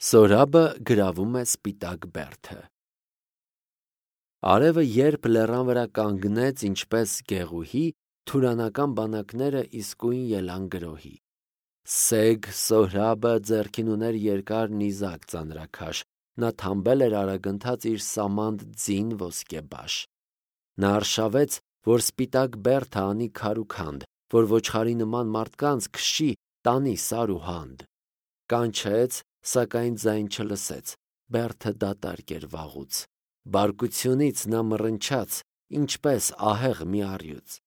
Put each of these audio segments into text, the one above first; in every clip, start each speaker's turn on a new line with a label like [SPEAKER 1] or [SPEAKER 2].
[SPEAKER 1] Սորաբը գրավում է սպիտակ բերդը։ Արևը երբ լեռան վրա կանգնեց ինչպես գեղուհի, թուրանական բանակները իսկույն ելան գրոհի։ Սեգ Սորաբը ձեռքին ուներ երկար նիզակ ծանրաքաշ, նա թամբել էր արագընթաց իր սամանդ ձին ոսկեբաշ։ Նա արշավեց, որ սպիտակ բերդը անի քար ու քանդ, որ ոչխարի նման մարդկանց քշի, տանի սար ու հանդ։ Կանչեց, սակայն ձայն չլսեց, բերդը դատարկ էր վաղուց, բարկությունից նա մռնչաց, ինչպես ահեղ մի առյուծ։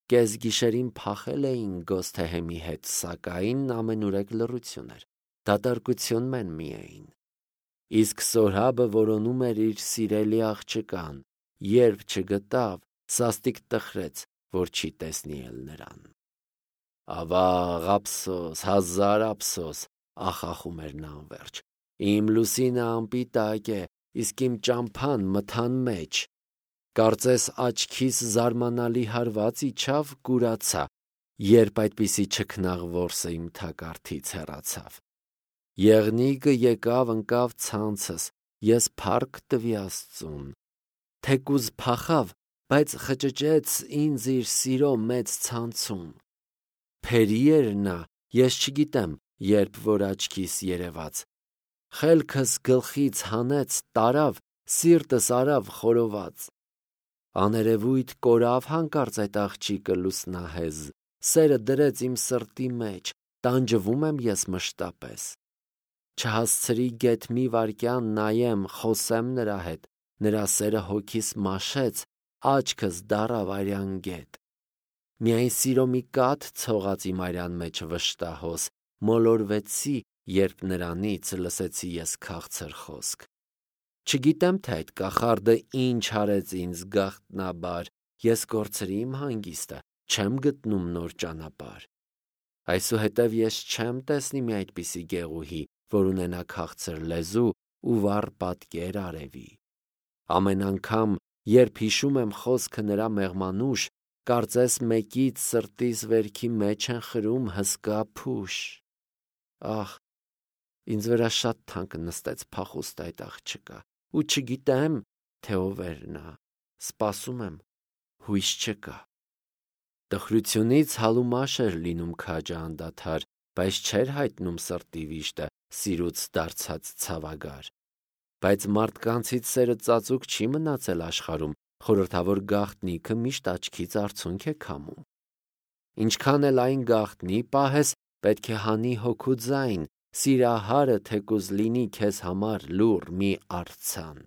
[SPEAKER 1] Կեսգիշերին փախել էին Գոսթեհեմի հետ, սակայն ամենուրեք լռություն էր, դատարկություն մեն միայն։ Իսկ Սորաբը որոնում էր իր սիրելի աղջկան, երբ չգտավ, սաստիկ տխրեց, որ չի տեսնի էլ նրան։ Ավաղ, ափսոս, հազար ափսոս, ախախում էր նա անվերջ։ Իմ լուսինը անպիտակ է, իսկ իմ ճամփան մթան մեջ։ Կարծես աչքիս զարմանալի հարված իջավ, կուրացա, երբ այդպիսի չքնաղ որսը իմ թակարդից հեռացավ։ Եղնիկը եկավ ընկավ ցանցս, ես փառք տվի Աստծուն։ Թեկուզ փախավ, բայց խճճեց ինձ իր սիրո մեծ ցանցում։ Փերի էր նա, ես չգիտեմ, երբ որ աչքիս երևաց։ Խելքս գլխից հանեց, տարավ, սիրտս արավ խորոված։ Աներևույթ կորավ հանկարծ այդ աղջիկը լուսնահեզ, սերը դրեց իմ սրտի մեջ, տանջվում եմ ես մշտապես։ Չհասցրի գեթ մի վայրկյան նայեմ, խոսեմ նրա հետ, նրա սերը հոգիս մաշեց, աչքս դառավ արյան գետ։ Միայն սիրո մի կաթ ցողաց իմ արյան մեջ վշտահոս, մոլորվեցի, երբ նրանից լսեցի ես քաղցր խոսք։ Չգիտեմ, թե այդ կախարդը ինչ արեց ինձ գաղտնաբար, ես կորցրի իմ հանգիստը, չեմ գտնում նոր ճանապարհ։ Այսուհետև ես չեմ տեսնի մի այդպիսի գեղուհի, որ ունենա քաղցր լեզու ու վառ պատկեր արևի։ Ամեն անգամ, երբ հիշում եմ խոսքը նրա մեղմանուշ, կարծես մեկից սրտիս վերքի մեջ են խրում հսկա փուշ։ Ահ, ինձ վրա շատ թանկ նստեց փախուստ այդ աղջկա, ու չգիտեմ, թե ով էր նա, սպասում եմ, հույս չկա։ Տխրությունից հալումաշ էր լինում քաջը անդադար, բայց չէր հայտնում սրտի վիշտը, սիրուց դարձած ցավագար։ Բայց մարդկանցից սերը ծածուկ չի մնացել աշխարհում, խորհրդավոր գաղտնիքը միշտ աչքից արցունք է քամում։ Ինչքան էլ այն գաղտնի պահես, պետք է հանի հոգու ձայն, սիրահարը թեկուզ լինի քեզ համար լուռ մի արձան։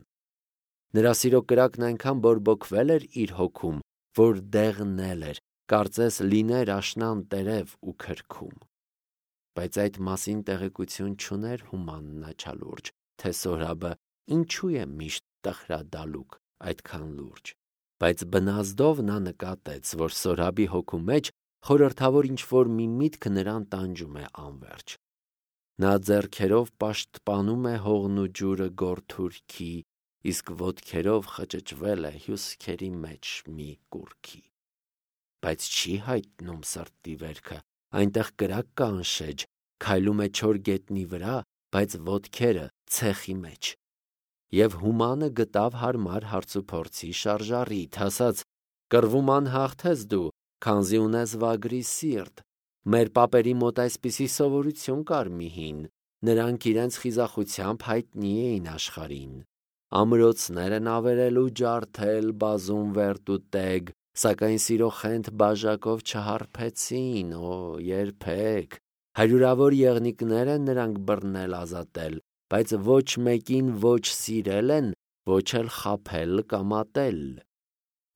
[SPEAKER 1] Նրա սիրո կրակն այնքան բորբոքվել էր իր հոգում, որ դեղնել էր, կարծես լիներ աշնան տերև ու քրքում։ Բայց այդ մասին տեղեկություն չուներ հումանն աչալուրջ, թե Սորաբը ինչու է միշտ տխրադալուկ այդքան լուրջ։ Բայց բնազդով նա նկատեց, որ Սորաբի հոգու մեջ խորհրդավոր ինչ-որ մի միտք նրան տանջում է անվերջ։ Նա ձեռքերով պաշտպանում է հողն ու ջուրը գորթուրքի, իսկ ոտքերով խճճվել է հյուսքերի մեջ մի կուռքի։ Բայց չի հայտնում սրտի վերքը, այնտեղ կրակ կա անշեջ, քայլում է չոր գետնի վրա, բայց ոտքերը ցեխի մեջ։ Եվ հումանը գտավ հարմար հարցուփորձի շարժառիթ, ասաց. «Կռվում անհաղթես դու, քանզի ունես վագրի սիրտ։ Մեր պապերի մոտ այսպիսի սովորություն կար մի հին, նրանք իրենց խիզախությամբ հայտնի էին աշխարհին։ Ամրոցներ են ավերել ու ջարդել, բազում վերտ ու տեգ, սակայն սիրո խենթ բաժակով չհարբեցին, երբեք։ Հարյուրավոր եղնիկներ են նրանք բռնել ազատել, բայց ոչ մեկին ոչ սիրել են, ոչ էլ խաբել կամ ատել։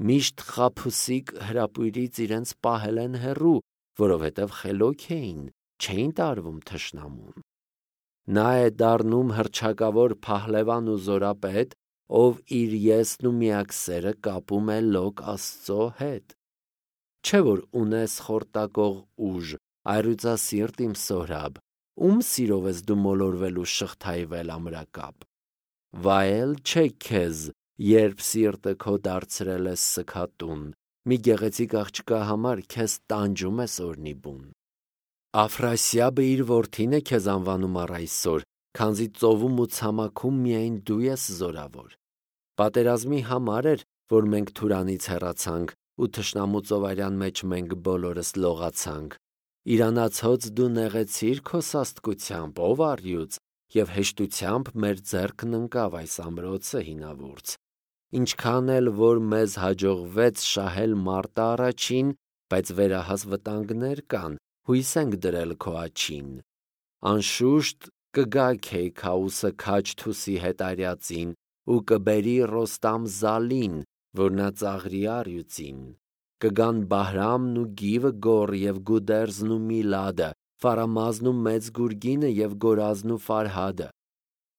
[SPEAKER 1] Միշտ խաբուսիկ հրապույրից իրենց պահել են հեռու, որովհետև խելոք էին, չէին տարվում թշնամուն։ Նա է դառնում հռչակավոր փահլևան ու զորապետ, ով իր եսն ու միակ սերը կապում է լոկ Աստծո հետ։ Չէ որ ունես խորտակող ուժ, այռույծասիրտ իմ Սորաբ, ում սիրով ես դու մոլորվել ու շղթայվել ամրակապ։ Վայել չէ քեզ, երբ սիրտը քո դարձրել ես սգատուն, մի գեղեցիկ աղջկա համար քեզ տանջում ես օրնի բուն։ Աֆրասիաբը իր որդին է քեզ անվանում առ այսօր, քանզի ծովում ու ցամաքում միայն դու ես զորավոր։ Պատերազմի համար էր, որ մենք Թուրանից հեռացանք ու թշնամու ծովարյան մեջ մենք բոլորս լողացանք։ Իրանացած դու նեղեցիր քո սաստկությամբ, ով առյուծ, և հեշտությամբ մեր ձեռքն ընկավ այս ամրոցը հինավուրց։ Ինչքան էլ որ մեզ հաջողվեց շահել մարտը առաջին, բայց վերահաս վտանգներ կան, հույս ենք դրել քո աջին։ Անշուշտ կգա Քեյքաուսը Քաջ-Թուսի հետարյածին ու կբերի Ռոստամ Զալին, որ նա ծաղրի առյուծին։ Կգան Բահրամն ու Գիվը գոր և Գուդերզն ու Միլադը, Ֆարամազն ու մեծ գուրգինը և Գորազն ու Ֆարհադը։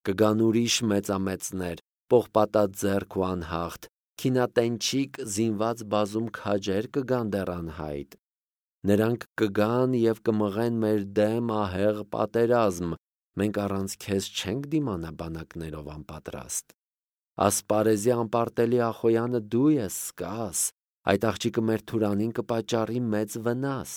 [SPEAKER 1] Կգան ուրիշ մեծամեծներ, պողպատաձեռք ու անհաղթ, քինատենչիկ զինված բազում քաջեր կգան դեռ անհայտ։ Նրանք կգան և կմղեն մեր դեմ ահեղ պատերազմ, մենք առանց քեզ չենք դիմանա բանակներով անպատրաստ։ Ասպարեզի անպարտելի Ախոյանը դու ես, սկաս, այդ աղջիկը մեր Թուրանին կպատճառի մեծ վնաս։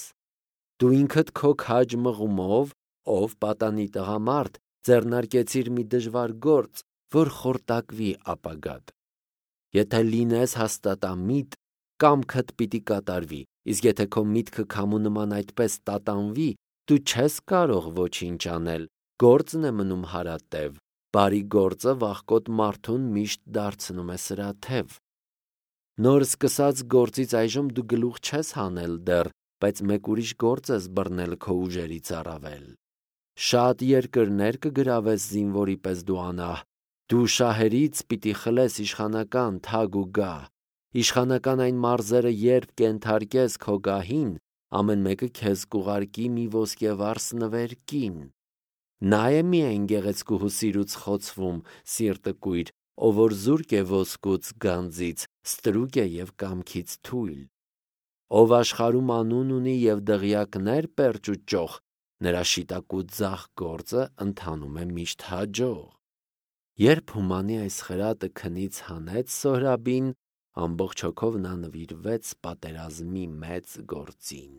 [SPEAKER 1] Դու ինքդ քո քաջ մղումով, ով պատանի տղամարդ, ձեռնարկեցիր մի դժվար գործ, որ խորտակվի ապագադ։ Եթե լինես հաստատամիտ, կամքդ պիտի կատարվի, իսկ եթե քո միտքը քամու նման այդպես տատանվի, դու չես կարող ոչինչ անել, գործն է մնում հարատև, բարի գործը վախկոտ մարդուն միշտ դարձնում է սրաթև։ Նոր սկսած գործից այժմ դու գլուխ չես հանել դեռ, բայց մեկ ուրիշ գործ ես բռնել քո ուժերից առավել։ Շատ երկրներ կգրավես զինվորի պես դու անահ, դու շահերից պիտի խլես իշխանական թագ ու գահ։ Իշխանական այն մարզերը երբ կենթարկես քո գահին, ամեն մեկը քեզ կուղարկի մի ոսկեվարս նվեր կին։ Նա է միայն գեղեցկուհու սիրուց խոցվում, սիրտը կույր, ով որ զուրկ է ոսկուց գանձից, ստրուկ է և կամքից թույլ։ Ով աշխարհում անուն ունի և դղյակներ պերճ ու ճոխ, նրա շիտակ ու ձախ գործը ընթանում է միշտ հաջող։ Երբ Հումանի այս խրատը քնից հանեց Սոհրաբին, ամբողջ հոգով նա նվիրվեց պատերազմի մեծ գործին։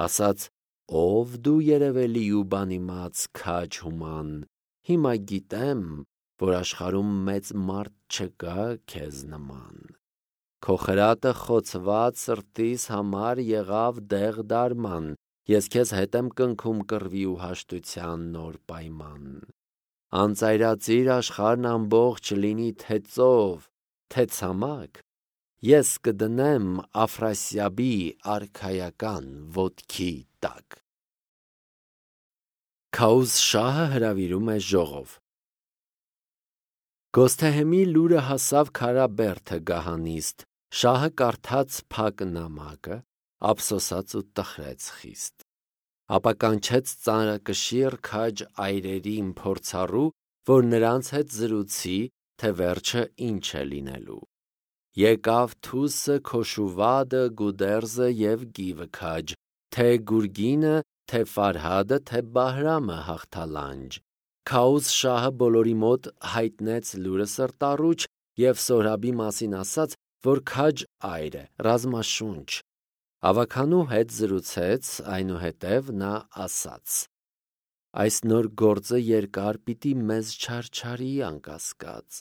[SPEAKER 1] Ասաց. «Ով դու երևելի ու բանիմաց քաջ Հուման, հիմա գիտեմ, որ աշխարհում մեծ մարդ չկա քեզ նման։ Քո խրատը խոցված սրտիս համար եղավ դեղ դարման, ես քեզ հետ եմ կնքում կռվի ու հաշտության նոր պայման։ Անծայրածիր աշխարհն ամբողջ լինի թե ծով, թե ցամաք, ես կդնեմ Աֆրասիաբի արքայական ոտքի տակ»։ Քաուզ շահը հրավիրում է ժողով։ Գոսթեհեմի լուրը հասավ Քարաբերդը գահանիստ, շահը կարդաց փակ նամակը, ափսոսաց ու տխրեց խիստ։ Ապա կանչեց ծանրակշիռ քաջ այրերին փորձառու, որ նրանց հետ զրուցի, թե վերջը ինչ է լինելու։ Եկավ Թուսը, Քոշուվադը, Գուդերզը և Գիվը քաջ, թե Գուրգինը, թե Ֆարհադը, թե Բահրամը հաղթալանջ։ Քաուզ շահը բոլորի մոտ հայտնեց լուրը սրտառուչ և Սոհրաբի մասին ասաց, որ քաջ այր է, ռազմաշունչ։ Ավագանու հետ զրուցեց, այնուհետև նա ասաց. «Այս նոր գործը երկար պիտի մեզ չարչարի անկասկած։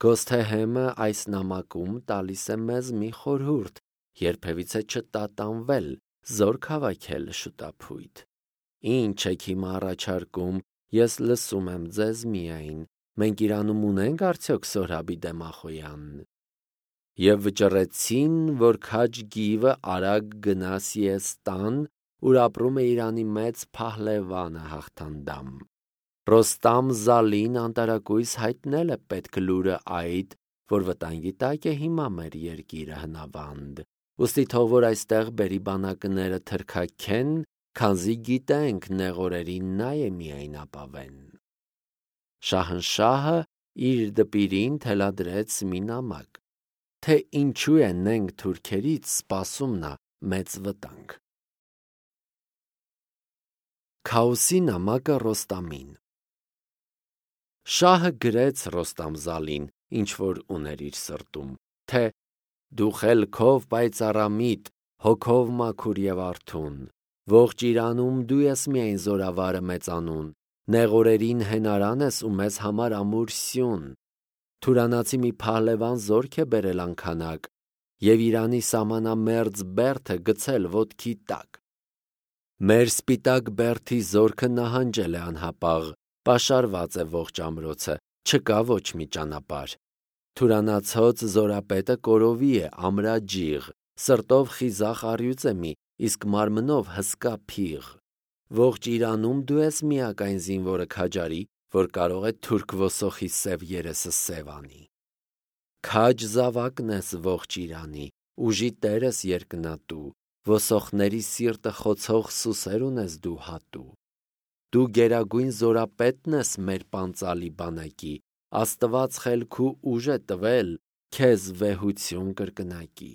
[SPEAKER 1] Գոսթեհեմը այս նամակում տալիս է մեզ մի խորհուրդ, երբևիցե չտատանվել, զորք հավաքել շուտափույթ։ Ինչ եք հիմա առաջարկում, ես լսում եմ ձեզ միայն, մենք Իրանում ունենք արդյոք Սոհրաբի դեմ Ախոյան։ Եվ վճռեցին, որ քաջ Գիվը արագ գնա Սիեստան, ուր ապրում է Իրանի մեծ փահլևանը հաղթանդամ։ Ռոստամ Զալին անտարակույս հայտնել է պետք լուրը այդ, որ վտանգի տակ է հիմա մեր երկիրը հնավանդ, ուստի թող որ այստեղ բերի բանակները թրքաքեն, քանզի գիտենք նեղորերին նա է միայն ապավեն։ Շահնշահը իր դպիրին թելադրեց մի նամակ, թե ինչու է նենք թուրքերից սպասում նա մեծ վտանգ։ Քաոսի նամակը Ռոստամին։ Շահը գրեց Ռոստամ Զալին, ինչ որ ուներ իր սրտում, թե դու խելքով պայծառամիտ, հոգով մաքուր և արթուն, ողջ Իրանում դու ես միայն զորավարը մեծանուն, նեղորերին հենարան ես ու մեզ համար ամուր սյուն։ Թուրանացի մի փահլևան զորք է բերել անքանակ և Իրանի սամանամերձ բերդը գցել ոտքի տակ։ Մեր սպիտակ բերդի զորքը նահանջել է անհապաղ, պաշարված է ողջ ամրոցը, չկա ոչ մի ճանապարհ։ Թուրանացած զորապետը կորովի է, ամրաջիղ, սրտով խիզախ առյուծ է մի, իսկ մարմնով հսկա փիղ։ Ողջ Իրանում դու ես միակ այն զինվորը քաջարի, որ կարող է թուրք ոսոխի սև երեսը սև անի։ Քաջ զավակն ես ողջ Իրանի, ուժի տեր ես երկնատու, ոսոխների սիրտը խոցող սուսեր ունես դու հատու։ Դու գերագույն զորապետն ես մեր պանծալի բանակի, Աստված խելքու ուժ է տվել քեզ վեհություն կրկնակի։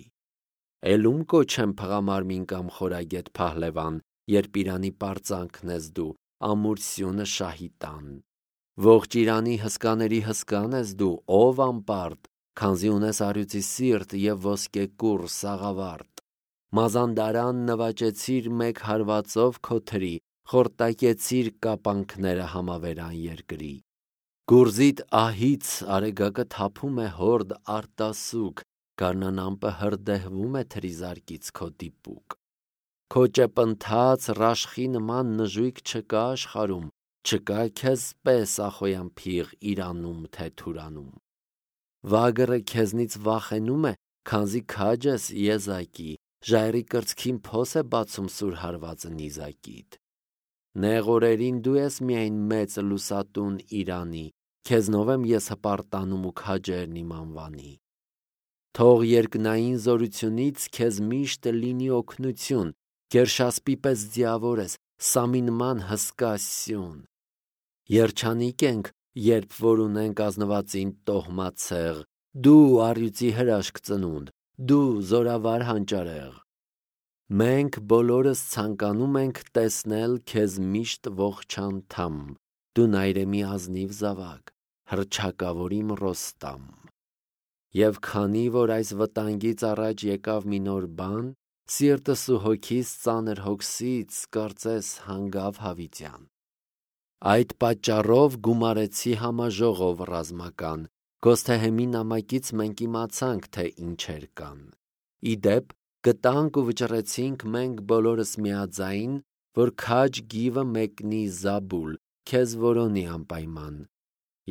[SPEAKER 1] Էլում կոչեմ փղամարմին կամ խորագետ փահլևան, երբ Իրանի պարծանքն ես դու, ամուր սյունը շահի տան։ Ողջ Իրանի հսկաների հսկան ես դու, ով անպարտ, քանզի ունես առյուծի սիրտ և ոսկեկուռ սաղավարտ։ Մազանդարան նվաճեցիր մեկ հարվածով քո թրի, խորտակեցիր կապանքները համավերան երկրի։ Գուրզիդ ահից արեգակը թափում է հորդ արտասուք, գարնան ամպը հրդեհվում է թրիզարկից քո դիպուկ։ Քո ճեպընթաց ռաշխի նման նժույգ չկա աշխարհում, չկա քեզ պես ախոյան փիղ Իրանում թե Թուրանում։ Վագրը քեզնից վախենում է, քանզի քաջ ես եզակի, ժայռի կրծքին փոս է բացում սուր հարվածը նիզակիդ։ Նեղորերին դու ես միայն մեծ լուսատուն Իրանի, քեզնով եմ ես հպարտանում ու քաջերն իմ անվանի։ Թող երկնային զորությունից քեզ միշտ լինի օգնություն, Գերշասպի պես ձիավոր ես, Սամի նման հսկա սյուն։ Երջանիկ ենք, երբ որ ունենք ազնվածին տոհմացեղ, դու առյուծի հրաշք ծնունդ, դու զորավար հանճարեղ։ Մենք բոլորս ցանկանում ենք տեսնել քեզ միշտ ողջ անդամ, դու նայրեմի ազնիվ զավակ, հռչակավոր իմ Ռոստամ։ Եվ քանի որ այս վտանգից առաջ եկավ մի նոր բան, սիրտս ու հոգիս ծանր հոգսից կարծես հանգավ հավիտյան։ Այդ պատճառով գումարեցի համաժողով ռազմական, Գոսթեհեմի նամակից մենք իմացանք, թե ինչեր կան։ Ի դեպ, գտանք ու վճռեցինք մենք բոլորս միաձայն, որ քաջ գիվը մեկնի Զաբուլ, քեզ որոնի անպայման,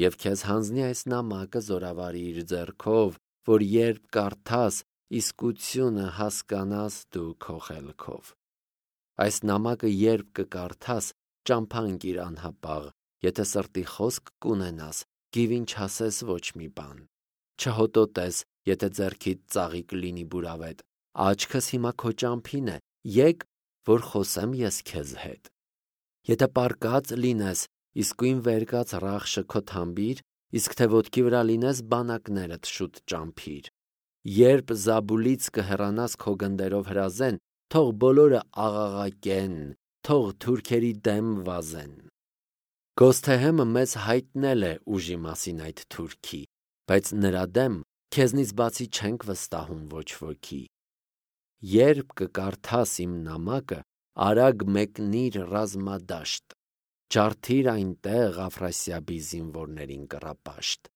[SPEAKER 1] և քեզ հանձնի այս նամակը զորավարի իր ձեռքով, որ երբ կարդաս, իսկությունը հասկանաս դու քո խելքով։ Այս նամակը երբ կկարդաս, ճամփանք իր անհապաղ, եթե սրտի խոսք կունենաս, գիվին չասես ոչ մի բան։ Չհոտոտես, եթե ձեռքիդ ծաղիկ լինի բուրավետ, աչքս հիմա քո ճամփին է, եկ, որ խոսեմ ես քեզ հետ։ Եթե պառկած լինես, իսկույն վեր կաց Ռախշը քո թամբիր, իսկ թե ոտքի վրա լինես, բանակներդ շուտ ճամփիր։ Երբ Զաբուլից կհեռանաս քո գնդերով հրազեն, թող բոլորը աղաղակեն, թող թուրքերի դեմ վազեն։ Գոսթեհեմը մեզ հայտնել է ուժի մասին այդ թուրքի, բայց նրա դեմ քեզնից բացի չենք վստահում ոչ ոքի։ Երբ կկարդաս իմ նամակը, արագ մեկնիր ռազմադաշտ, ջարդիր այնտեղ Աֆրասիաբի զինվորներին կռապաշտ։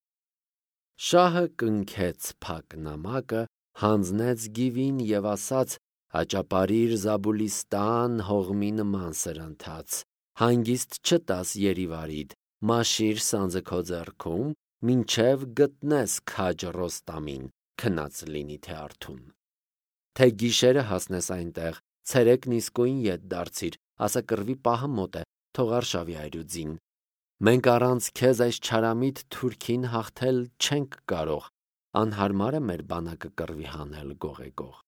[SPEAKER 1] Շահը կնքեց փակ նամակը, հանձնեց գիվին և ասաց. հաճապարիր Զաբուլիստան հողմի նման սրընթաց, հանգիստ չտաս երիվարիդ, մաշիր սանձը քո ձեռքում, մինչև գտնես քաջ Ռոստամին, քնած լինի թե արթուն։ Թե գիշերը հասնես այնտեղ, ցերեկն իսկույն ետ դարձիր, ասա կռվի պահը մոտ է, թող արշավի այրուձին։ Մենք առանց քեզ այս չարամիտ թուրքին հաղթել չենք կարող, անհարմար է մեր բանակը կռվի հանել գողեգող։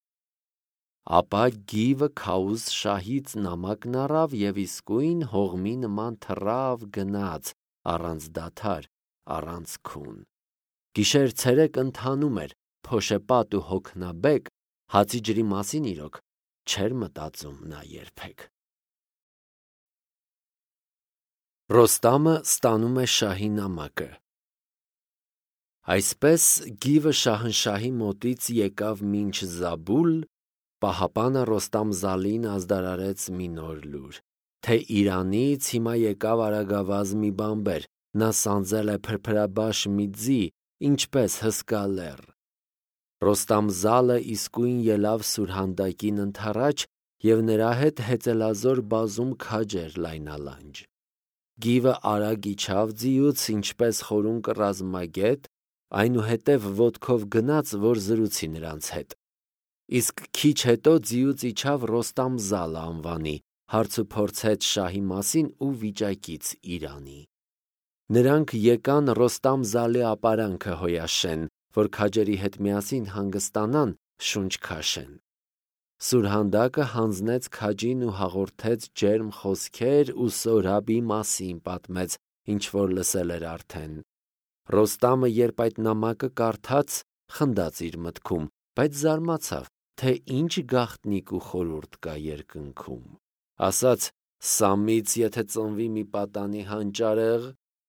[SPEAKER 1] Ապա գիվը Քաուզ շահից նամակն առավ և իսկույն հողմի նման թռավ գնաց, առանց դադար, առանց քուն։ Գիշեր ցերեկ ընթանում էր, փոշեպատ ու հոգնաբեկ, հացի ջրի մասին իրոք չէր մտածում նա երբեք։ Ռոստամը ստանում է շահի նամակը։ Այսպես գիվը շահնշահի մոտից եկավ մինչ Զաբուլ, պահապանը Ռոստամ Զալին ազդարարեց մի նոր լուր։ թե իրանից հիմա եկավ արագավազ մի բանբեր, նա սանձել է փրփրաբաշ մի ձի, ինչպես հսկա լեռ։ Ռոստամ զալը իսկույն ելավ Սուրհանդակին ընդառաջ և նրա հետ հեծելազոր բազում քաջեր լայնալանջ։ Գիվը արագ իջավ ձիուց, ինչպես խորուն կռազմագետ, այնուհետև ոտքով գնաց, որ զրուցի նրանց հետ։ Իսկ քիչ հետո ձիուց իջավ Ռոստամ զալը անվանի, հարցուփորձեց շահի մասին ու վիճակից Իրանի։ Նրանք եկան Ռոստամ զալի ապարանքը հոյաշեն, որ քաջերի հետ միասին հանգստանան, շունչ քաշեն։ Սուրհանդակը հանձնեց քաջին ու հաղորդեց ջերմ խոսքեր ու Սորաբի մասին պատմեց, ինչ որ լսել էր արդեն։ Ռոստամը, երբ այդ նամակը կարդաց, խնդաց իր մտքում, բայց զարմացավ, թե ինչ գաղտնիք ու խորհուրդ կա երկնքում։ Ասաց. «Սամից եթե ծնվի մի պատանի հանճարեղ,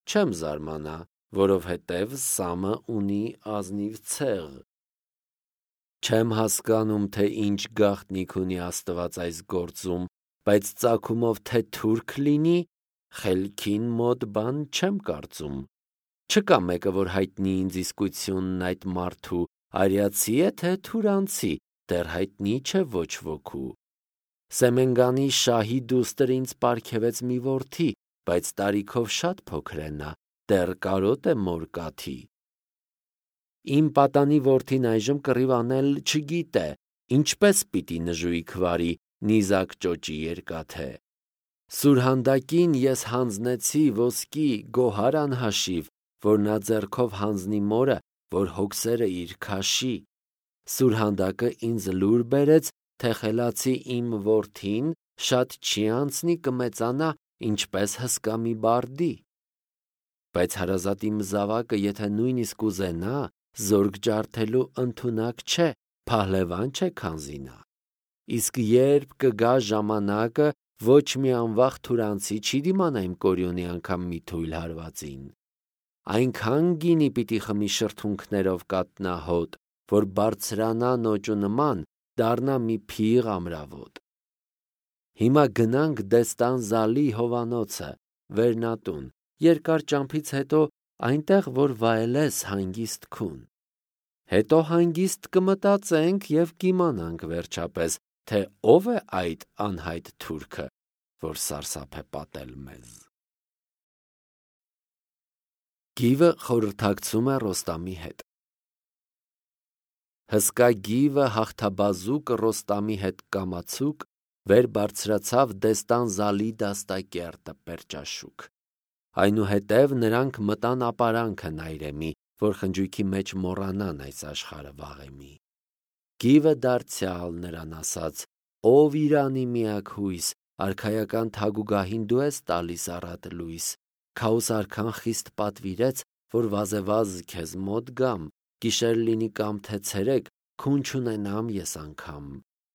[SPEAKER 1] չեմ զարմանա, որովհետև Սամը ունի ազնիվ ցեղ։ Չեմ հասկանում, թե ինչ գաղտնիք ունի Աստված այս գործում, բայց ծագումով թե թուրք լինի, խելքին մոտ բան չեմ կարծում։ Չկա մեկը, որ հայտնի ինձ իսկությունն այդ մարդու, արիացի է թե թուրանցի, դեռ հայտնի չէ ոչ ոքու։ Սեմենգանի շահի դուստր ինձ պարգևեց մի որդի, բայց տարիքով շատ փոքր է նա, դեռ կարոտ է մոր կաթի։ Իմ պատանի որդին այժմ կռիվ անել չգիտե, ինչպես պիտի նժույգ վարի, նիզակ ճոճի երկաթե։ Սուրհանդակին ես հանձնեցի ոսկի գոհար անհաշիվ, որ նա ձեռքով հանձնի մորը, որ հոգսերը իր քաշի։ Սուրհանդակը ինձ լուր բերեց, թե խելացի իմ որդին շատ չի անցնի կմեծանա, ինչպես հսկա մի բարդի։ Բայց հարազատի մզավակը, եթե նույնիսկ ուզենա, զորք ջարդելու ընդունակ չէ, փահլևան չէ քանզի նա։ Իսկ երբ կգա ժամանակը, ոչ մի անվախ թուրանցի չի դիմանա իմ կորյունի անգամ մի թույլ հարվածին։ Այնքան գինի պիտի խմի շրթունքներով կատնահոտ, որ բարձրանա նոճու նման, դառնա մի փիղ ամրավոտ։ Հիմա գնանք Դեստան Զալի հովանոցը, Վերնատուն, երկար ճամփից հետո այնտեղ, որ վայելես հանգիստ քուն։ Հետո հանգիստ կմտածենք և կիմանանք վերջապես, թե ով է այդ անհայտ թուրքը, որ սարսափ է պատել մեզ։ Գիվը խորհրդակցում է Ռոստամի հետ։ Հսկա գիվը հաղթաբազուկ Ռոստամի հետ կամացուկ վեր բարձրացավ Դեստան Զալի դաստակերտը Պերճաշուք։ Այնուհետև նրանք մտան ապարանքը Նայրեմի, որ խնջույքի մեջ մոռանան այս աշխարհը վաղեմի։ Գիվը դարձյալ նրան ասաց. «Ով Իրանի միակ հույս, արքայական թագուգահին դու ես տալիս առատ լույս։ Քաուս արքան խիստ պատվիրեց, որ վազեվազ քեզ մոտ գամ, գիշեր լինի կամ թե ցերեկ, քուն չունենամ ես անգամ։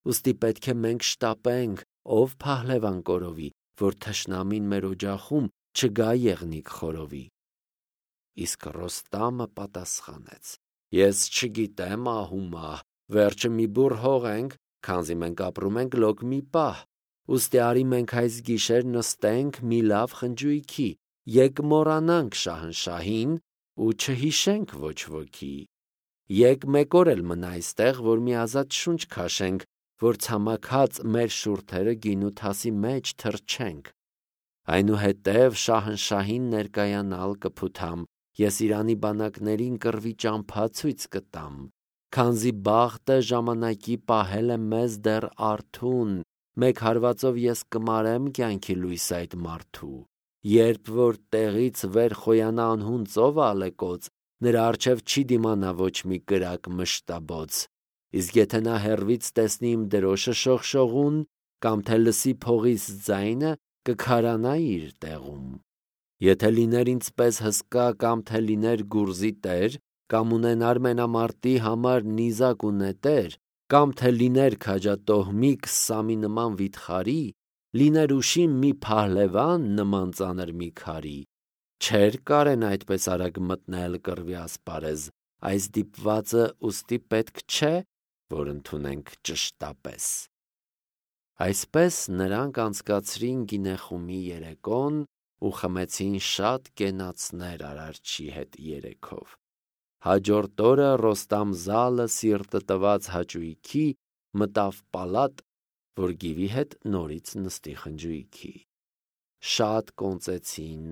[SPEAKER 1] Ուստի պետք է մենք շտապենք, ով փահլևան կորովի, որ թշնամին մեր օջախում չգա եղնիկ խորովի»։ Իսկ Ռոստամը պատասխանեց. «Ես չգիտեմ ահումահ, վերջը մի բուռ հողենք, քանզի մենք ապրում ենք լոկ մի պահ։ Ուստի արի մենք այս գիշեր նստենք մի լավ խնջույքի, եկ մոռանանք շահնշահին ու չհիշենք ոչ ոքի։ Եկ մեկ օր էլ մնա այստեղ, որ մի ազատ շունչ քաշենք, որ ցամաքած մեր շուրթերը գինու թասի մեջ թռչենք։ Այնուհետև շահնշահին ներկայանալ կփութամ, ես Իրանի բանակներին կռվի ճամփա ցույց կտամ, քանզի բախտը ժամանակի պահել է մեզ դեռ արթուն, մեկ հարվածով ես կմարեմ կյանքի լույս այդ մարդու։ Երբ որ տեղից վեր խոյանա անհուն ծովը ալեկոծ, նրա առջև չի դիմանա ոչ մի կրակ մշտաբոց։ Իսկ եթե նա հեռվից տեսնի իմ դրոշը շողշողուն, կամ թե լսի փողիս ձայնը, կքարանա իր տեղում։ Եթե լիներ ինձպես հսկա, կամ թե լիներ գուրզի տեր, կամ ունենար մենամարտի համար նիզակ ու նետեր, կամ թե լիներ քաջատոհմիկ Սամի նման վիթխարի, լիներ ուշիմ մի փահլևան նման ծանր մի քարի, չէր կարենա այդպես արագ մտնել կռվի ասպարեզ, այս դիպվածը ուստի պետք չէ, որ ընդունենք ճշտապես։ Այսպես նրանք անցկացրին գինեխումի երեկոն ու խմեցին շատ կենացներ Արարչի հետ երեքով։ Հաջորդ օրը Ռոստամ Զալը սիրտը տված հաճույքի մտավ պալատ, որ գիվի հետ նորից նստի խնջույքի։ Շատ կոնծեցին,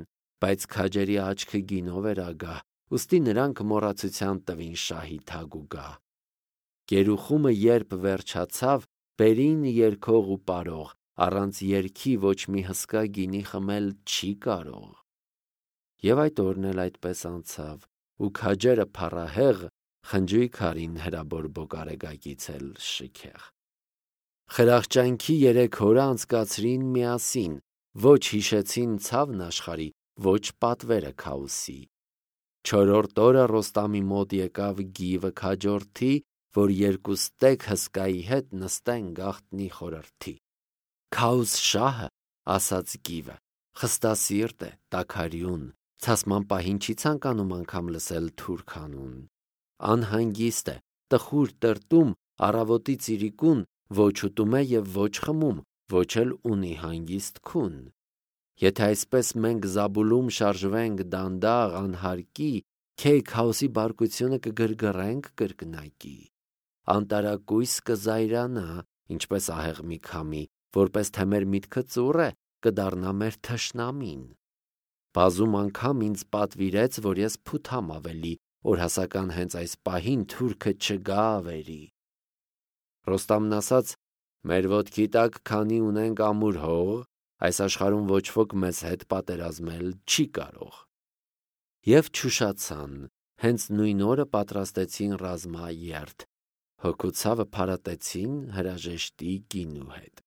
[SPEAKER 1] բայց քաջերի աչքը գինով էր ագահ, ուստի նրանք մոռացության տվին շահի թագուգահ։ Գերուխումը երբ վերջացավ, բերին երգող ու պարող, առանց երգի ոչ մի հսկա գինի խմել չի կարող։ Եվ այդ օրն էլ այդպես անցավ, ու քաջերը փառահեղ խնջույք արին հրաբորբոք արեգակից էլ շքեղ։ Խրախճանքի 3 օրը անցկացրին միասին, ոչ հիշեցին ցավն աշխարհի, ոչ պատվերը քաոսի։ 4-րդ օրը Ռոստամի մոտ եկավ գիվը քաջորդի, որ երկու ստեկ հսկայի հետ նստեն գաղտնի խորհրդի։ Քաուս շահը, ասաց գիվը, խստասիրտ է, տաքարյուն, ցասման պահին չի ցանկանում անգամ լսել թուրքանուն։ Անհանգիստ է, տխուր տրտում, առավոտի ծիրիկուն, ոչ ուտում է և ոչ խմում, ոչ էլ ունի հանգիստ քուն։ Եթե այսպես մենք Զաբուլում շարժվենք դանդաղ անհարկի, քեյ քաոսի բարկությունը կգրգռենք կրկնակի։ Անտարակույս կզայրանա, ինչպես ահեղ մի քամի, որպես թե մեր միտքը ծուռ է, կդառնա մեր թշնամին։ Բազում անգամ ինձ պատվիրեց, որ ես փութամ ավելի, օրհասական հենց այս պահին թուրքը չգա ավերի։ Ռոստամն ասաց. մեր ոտքի տակ քանի ունենք ամուր հող, այս աշխարհում ոչ ոք մեզ հետ պատերազմել չի կարող։ Եվ չուշացան, հենց նույն օրը պատրաստեցին ռազմաերթ, հոգուցավը փարատեցին հրաժեշտի գինու հետ։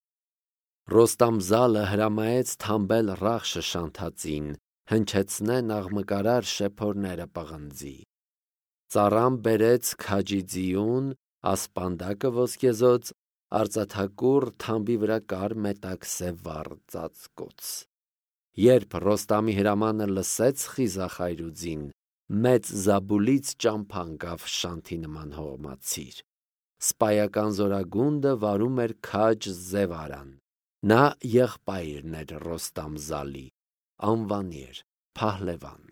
[SPEAKER 1] Ռոստամ Զալը հրամայեց թամբել Ռախշը շանթածին, հնչեցնեն աղմկարար շեփորները պղնձի։ Ծառան բերեց քաջի ձիուն, ասպանդակը ոսկեզոծ, արծաթակուռ թամբի վրա կար մետաքսե վառ ծածկոց։ Երբ Ռոստամի հրամանը լսեց խիզախ այրուձին, մեծ Զաբուլից ճամփա ընկավ շանթի նման հողմացիր։ Սպայական զորագունդը վարում էր քաջ Զևարան։ Նա եղբայրն էր Ռոստամ Զալի, անվանի էր Փահլևան։